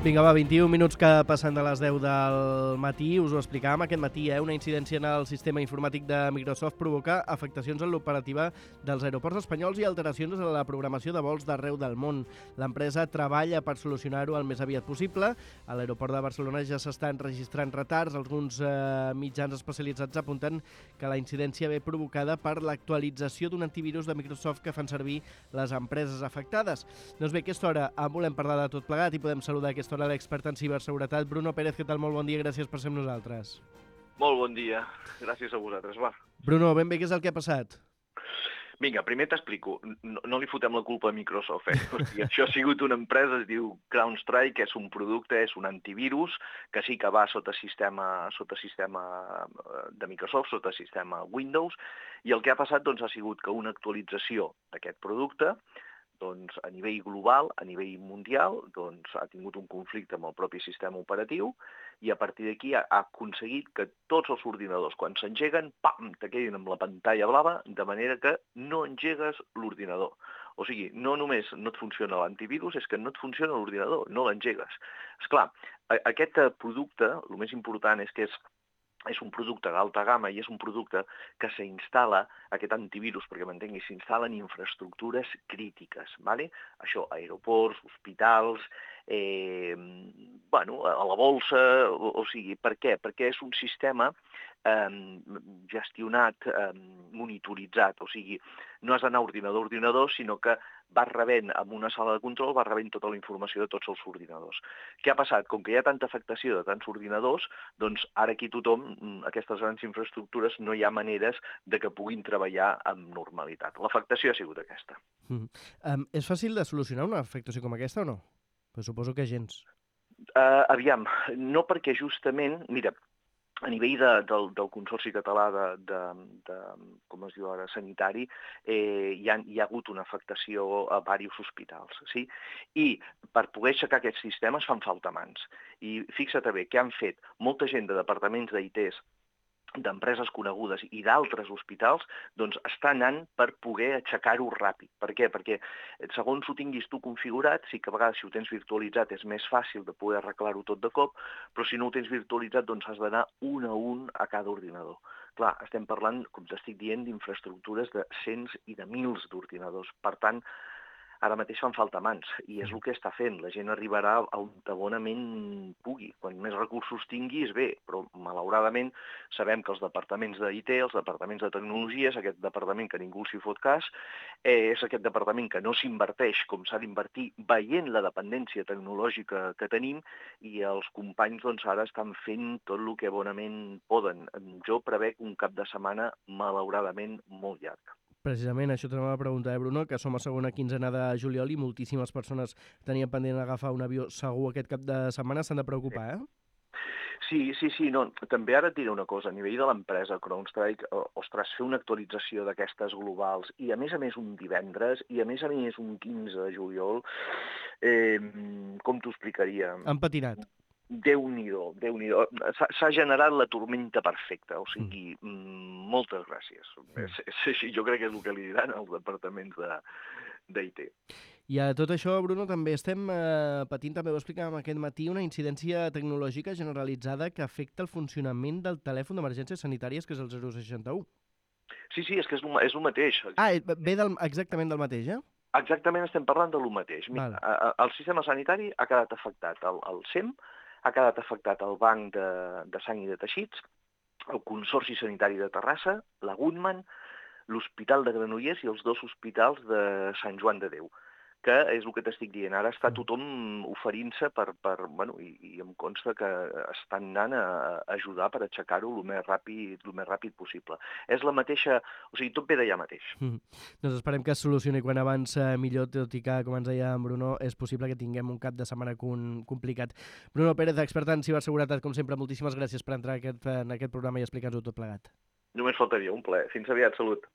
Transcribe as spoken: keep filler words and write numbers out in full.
Vinga, va, vint-i-un minuts que passen de les deu del matí. Us ho explicàvem aquest matí, eh? Una incidència en el sistema informàtic de Microsoft provoca afectacions en l'operativa dels aeroports espanyols i alteracions en la programació de vols d'arreu del món. L'empresa treballa per solucionar-ho el més aviat possible. A l'aeroport de Barcelona ja s'estan registrant retards. Alguns eh, mitjans especialitzats apunten que la incidència ve provocada per l'actualització d'un antivirus de Microsoft que fan servir les empreses afectades. Doncs bé, a aquesta hora en volem parlar de tot plegat i podem saludar a aquesta hora l'expert en ciberseguretat, Bruno Pérez. Què tal? Molt bon dia, gràcies per ser amb nosaltres. Molt bon dia, gràcies a vosaltres, va. Bruno, ben bé, què és el que ha passat? Vinga, primer t'explico, no, no li fotem la culpa a Microsoft, eh? O sigui, això ha sigut una empresa, es diu CrowdStrike, és un producte, és un antivirus, que sí que va sota sistema, sota sistema de Microsoft, sota sistema Windows, i el que ha passat doncs, ha sigut que una actualització d'aquest producte doncs, a nivell global, a nivell mundial, doncs, ha tingut un conflicte amb el propi sistema operatiu i a partir d'aquí ha, ha aconseguit que tots els ordinadors, quan s'engeguen, pam, te quedin amb la pantalla blava, de manera que no engegues l'ordinador. O sigui, no només no et funciona l'antivirus, és que no et funciona l'ordinador, no l'engegues. Esclar, aquest producte, el més important és que és és un producte d'alta gamma i és un producte que s'instal·la, aquest antivirus, perquè m'entengui, s'instal·la en infraestructures crítiques, ¿vale? Això, aeroports, hospitals, eh, bueno, a la bolsa, o, o sigui, per què? Perquè és un sistema eh, gestionat, eh, monitoritzat, o sigui, no has d'anar ordinador a ordinador, sinó que vas rebent, amb una sala de control, vas rebent tota la informació de tots els ordinadors. Què ha passat? Com que hi ha tanta afectació de tants ordinadors, doncs ara aquí tothom, aquestes grans infraestructures, no hi ha maneres de que puguin treballar amb normalitat. L'afectació ha sigut aquesta. Mm. Um, és fàcil de solucionar una afectació com aquesta o no? Però suposo que gens. Uh, aviam, no perquè justament, mira, a nivell de, del, del Consorci Català de, de, de com es diu ara, sanitari, eh, hi, ha, hi ha hagut una afectació a diversos hospitals, sí? I per poder aixecar aquests sistemes fan falta mans. I fixa't bé, què han fet? Molta gent de departaments d'I Ts, d'empreses conegudes i d'altres hospitals, doncs està anant per poder aixecar-ho ràpid. Per què? Perquè segons ho tinguis tu configurat, sí que a vegades si ho tens virtualitzat és més fàcil de poder arreglar-ho tot de cop, però si no ho tens virtualitzat doncs has d'anar un a un a cada ordinador. Clar, estem parlant, com t'estic dient, d'infraestructures de cents i de mils d'ordinadors. Per tant, ara mateix fan falta mans, i és el que està fent. La gent arribarà a on bonament pugui. Quan més recursos tingui és bé, però malauradament sabem que els departaments d'I T, els departaments de tecnologies, aquest departament que ningú s'hi fot cas, és aquest departament que no s'inverteix com s'ha d'invertir veient la dependència tecnològica que tenim, i els companys doncs, ara estan fent tot el que bonament poden. Jo prevec un cap de setmana malauradament molt llarg. Precisament, això t'anava a preguntar, eh, Bruno, que som a segona quinzena de juliol i moltíssimes persones tenien pendent agafar un avió segur aquest cap de setmana, s'han de preocupar, eh? Sí, sí, sí. No, també ara et diré una cosa. A nivell de l'empresa CrowdStrike, ostres, fer una actualització d'aquestes globals i a més a més un divendres i a més a més un quinze de juliol, eh, com t'ho explicaria? Han patinat. Déu-n'hi-do, Déu-n'hi-do. S'ha generat la tormenta perfecta, o sigui, mm. moltes gràcies. Mm. És, és així, jo crec que és el que li diran als departaments d'I T. I a tot això, Bruno, també estem eh, patint, també ho explicàvem aquest matí, una incidència tecnològica generalitzada que afecta el funcionament del telèfon d'emergències sanitàries, que és el zero seixanta u. Sí, sí, és que és el, és el mateix. Ah, ve del, exactament del mateix, eh? Exactament, estem parlant de lo mateix. Mira, vale. El sistema sanitari ha quedat afectat, el, el S E M ha quedat afectat el Banc de, de Sang i de Teixits, el Consorci Sanitari de Terrassa, la Goodman, l'Hospital de Granollers i els dos hospitals de Sant Joan de Déu, que és el que t'estic dient. Ara està tothom oferint-se per, per bueno, i, i em consta que estan anant a ajudar per aixecar-ho el més ràpid, el més ràpid possible. És la mateixa, o sigui, tot ve d'allà mateix. Mm. Doncs esperem que es solucioni quan abans millor, tot i que, com ens deia en Bruno, és possible que tinguem un cap de setmana complicat. Bruno Pérez, expert en ciberseguretat, com sempre, moltíssimes gràcies per entrar en aquest, en aquest programa i explicar-nos-ho tot plegat. Només faltaria, un plaer. Fins aviat, salut.